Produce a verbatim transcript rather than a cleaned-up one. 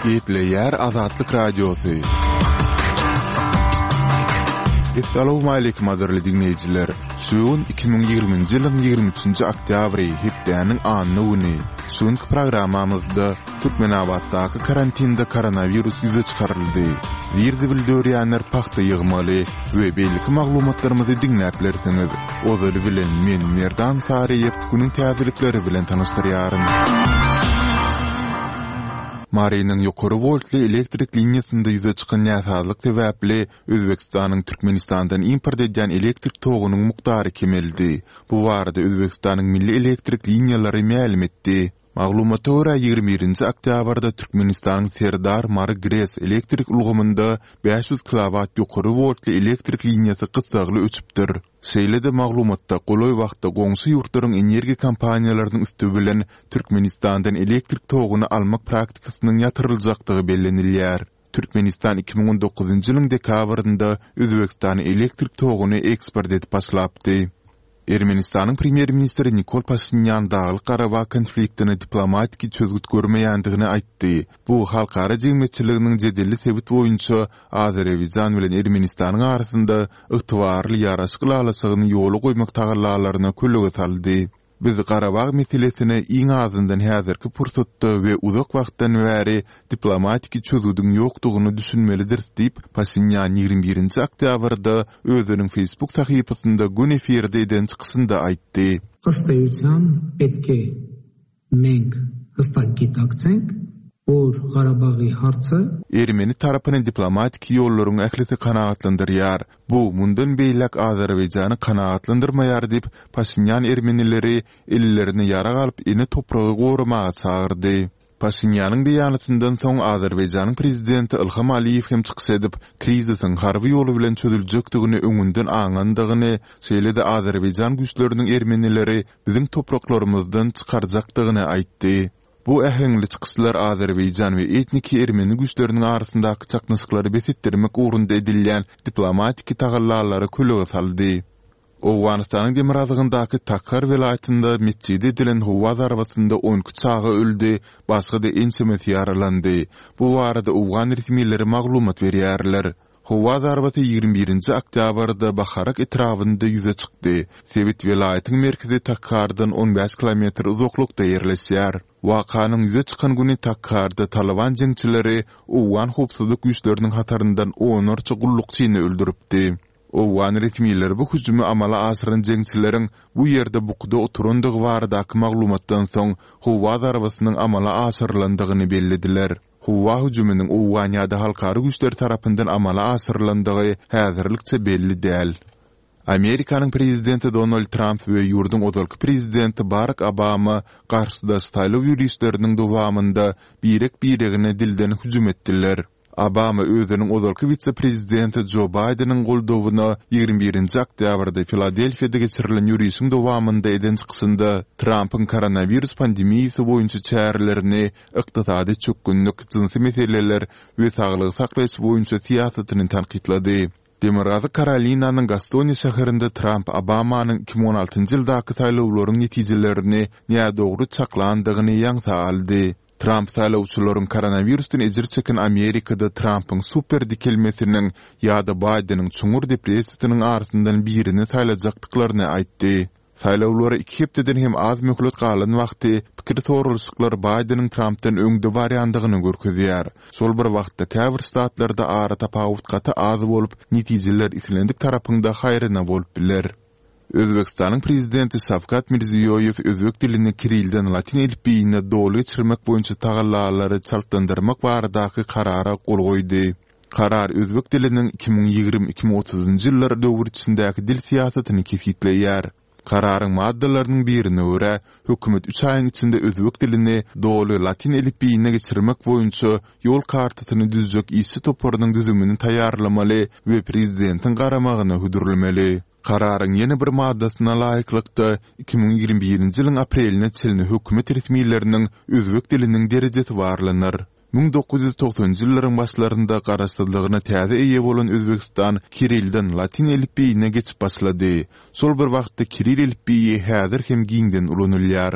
Gepleýär Azatlyk Radiosy. Essalawmaleýkim gadyrly diňleýjiler! Şu gün iki müň ýigriminji ýylyň ýigrimi üçünji oktýabry, hepdäniň anna güni. Şu günki programmamyzda Türkmenabatdaky karantinde koronawirus ýüze çykaryldy. Zir-zibil dörýänler pagta ýygmaly we beýleki maglumatlarymyzy diňläp bilersiňiz. Ozaly bilen men Merdan Saryýew günüň täzelikleri bilen tanyşdyrýaryn. Marynyň ýokary woltly elektrik liniýasynda ýüze çykan näsazlyk sebäpli Özbegistanyň Türkmenistandan import edýän elektrik togunyň mukdary kemeldi. Bu barada Özbegistanyň Milli elektrik liniýalary mälim etdi. Maglumata görä, ýigrimi birinji oktýabrda Türkmenistanyň Serdar, Mary GRES elektrik ulgamynda bäş ýüz kilowat ýokary woltly elektrik liniýasy gyssagly öçüpdir. Şeýle-de maglumatda golaý wagtda goňşy ýurtlaryň energiýa kompaniýalarynyň üsti bilen Türkmenistandan elektrik toguny almak praktikasynyň ýatyryljakdygy bellenilýär. Türkmenistan iki müň on dokuzynjy ýylyň dekabrynda Özbegistana elektrik toguny eksport edip başlapdy. Ermenistanyň premýer-ministri Nikol Paşinýan Daglyk-Garabag konfliktine diplomatiki çözgüt görmeýändigini aýtdy. Bu halkara jemgyýetçiliginiň jedelli sebit boýunça Azerbaýjan bilen Ermenistanyň arasynda ygtybarly ýaraşyk ylalaşygyny ýola goýmak tagallalaryna kölege saldy. Biz Garabag meselesine iň azyndan häzirki pursatda we uzak wagtdan bäri diplomatiki çözgüdiň ýokdugyna düşünmelidiris diýip, Paşinýan ýigrimi birinji oktýabrda özüniň Facebook sahypasynda göni efirde eden çykyşynda aýtdy. Ըստ էության պետք է մենք հստակ գիտակցենք, որ Ղարաբաղի հարցը Ermeni tarapyny diplomatiki ýollaryň ählisi kanagatlandyrýar. Bu mundan beýläk Azerbaýjany kanagatlandyrmaýar diýip, Paşinýan ermenileri ellerine ýarag alyp ene topragy goramaga çagyrdy. Paşinýanyň beýanatyndan soň Azerbaýjanyň prezidenti Ilham Aliýew hem çykyş edip, krizisiň harby ýoly bilen çözüljekdigini öňünden aňandygyny, şeýle-de Azerbaýjan güýçleriniň ermenileri biziň topraklarymyzdan çykarjakdygyny aýtdy. Bu äheňli çykyşlar Azerbaýjan we etniki ermeni güýçleriniň arasyndaky çaknyşyklary bes etdirmek ugrunda edilýän diplomatiki tagallalara kölege saldy. Owganystanyň demirgazygyndaky Takhar welaýatynda metjide edilen howa zarbasynda on iki çaga öldi, başga-da ençemesi ýaralandy. Bu barada owgan resmileri maglumat berýärler. Howa zarbasy ýigrimi birinji oktýabrda Baharak etrabynda ýüze çykdy. Sebit welaýatyň merkezi Takhardan on bäş kilometr uzaklykda ýerleşýär. Wakanyň ýüze çykan güni Takharda Taliban jeňçileri owgan howpsuzlyk güýçleriniň hataryndan onlarça gullukçyny öldüripdi. Owgan resmileri bu hüjümi amala aşyran jeňçileriň bu ýerde bukuda oturandygy baradaky maglumatdan soň howa zarbasynyň amala aşyrylandygyny bellediler. Howa hüjüminiň owgan ýa-da halkara güýçleri tarapyndan amala aşyrylandygy häzirlikçe belli däl. Amerikanyň prezidenti Donald Trump we ýurduň ozalky prezidenti Barack Obama garşydaş saýlaw ýörişleriniň dowamynda birek-biregine dilden hüjüm etdiler. Obama özüniň ozalky wise-prezidenti Joe Bideniň goldawyna ýigrimi birinji oktýabrda Filadelfiýada geçirilen ýörişiň dowamynda eden çykyşynda Trumpyň koronawirus pandemiýasy boýunça çärelerini ykdysady çökgünlik, jynsy meseleler we saglygy saklaýyş boýunça syýasatyny tankytlady. Demirgazyk Karolinanyň Gastoniýa şäherinde Trump Obamanyň iki müň on altynjy ýyldaky saýlawlaryň netijelerini nädogry çaklandygyny ýaňsa aldy. Trump saýlawçylaryň koronawirusdan ejir çeken Amerikada Trumpyň super dikelmesiniň ýa-da Bideniň çuňňur depressiýasynyň arasyndan birini saýlajakdyklaryny aýtdy. Saýlawlara iki hepdeden hem az möhlet galan wagty pikir soralyşyklar Bideniň Trumpdan öňde barýandygyny görkezýär. Şol bir wagtda käbir ştatlarda ara tapawut gaty az bolup, netijeler islendik tarapyňda haýryna bolup biler. Özbegistanyň prezidenti Şawkat Mirziýoýew özbek dilini kirilden latyn elipbiýine doly geçirmek boýunça tagallalary çaltlandyrmak baradaky karara gol goýdy. Karar özbek diliniň iki müň ýigrimi iki müň otuzynjy ýyllar döwür içindäki dil syýasatyny kesgitleýär. Kararyň maddalarynyň birine görä, hökümet üç aýyň içinde özbek dilini doly latyn elipbiýine geçirmek boýunça ýol kartasyny düzjek işçi toparynyň düzümini taýýarlamaly we prezidentiň garamagyna hödürlemeli. Kararyň ýene bir maddasyna laýyklykda iki müň ýigrimi birinji ýylyň apreline çenli hökümet resmileriniň özbek diliniň derejesi barlanar. Müň dokuz ýüz togsanjy ýyllaryň başlarynda garaşsyzlygyna täze eýe bolan Özbegistan Kirilden latyn elipbiýine geçip başlady. Şol bir wagtda Kiril elipbiýi häzir hem giňden ulanylýar.